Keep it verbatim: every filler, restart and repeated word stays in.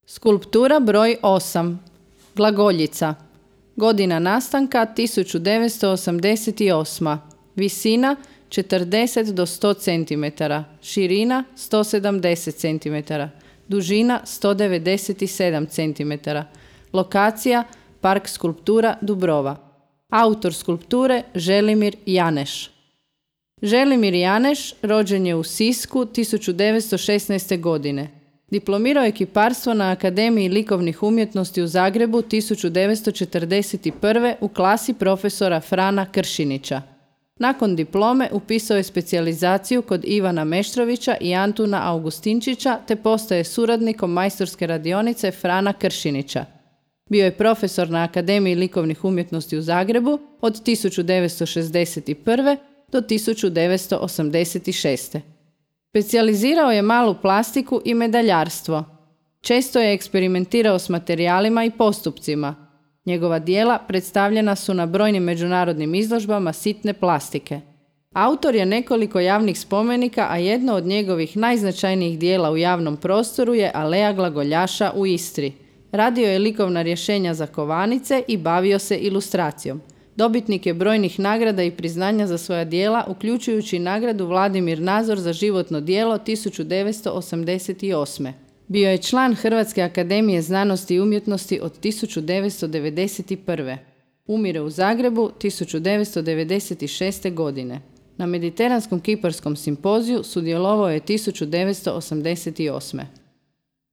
Skulptura broj osam. Glagoljica. Godina nastanka tisuću devetsto osamdeset osma. Visina četrdeset do sto centimetara. Širina sto sedamdeset centimetara. Dužina sto devedeset sedam centimetara. Lokacija Park skulptura Dubrova. Autor skulpture Želimir Janeš. Želimir Janeš rođen je u Sisku tisuću devetsto šesnaeste. godine. Diplomirao je kiparstvo na Akademiji likovnih umjetnosti u Zagrebu tisuću devetsto četrdeset prve. u klasi profesora Frana Kršinića. Nakon diplome upisao je specijalizaciju kod Ivana Meštrovića i Antuna Augustinčića te postaje suradnikom majstorske radionice Frana Kršinića. Bio je profesor na Akademiji likovnih umjetnosti u Zagrebu od tisuću devetsto šezdeset prve. do tisuću devetsto osamdeset šeste. Specijalizirao je malu plastiku i medaljarstvo. Često je eksperimentirao s materijalima i postupcima. Njegova djela predstavljena su na brojnim međunarodnim izložbama sitne plastike. Autor je nekoliko javnih spomenika, a jedno od njegovih najznačajnijih djela u javnom prostoru je Aleja glagoljaša u Istri. Radio je likovna rješenja za kovanice i bavio se ilustracijom. Dobitnik je brojnih nagrada i priznanja za svoja djela, uključujući nagradu Vladimir Nazor za životno djelo tisuću devetsto osamdeset osme. Bio je član Hrvatske akademije znanosti i umjetnosti od tisuću devetsto devedeset prve. Umire u Zagrebu tisuću devetsto devedeset šeste. godine. Na Mediteranskom kiparskom simpoziju sudjelovao je tisuću devetsto osamdeset osme.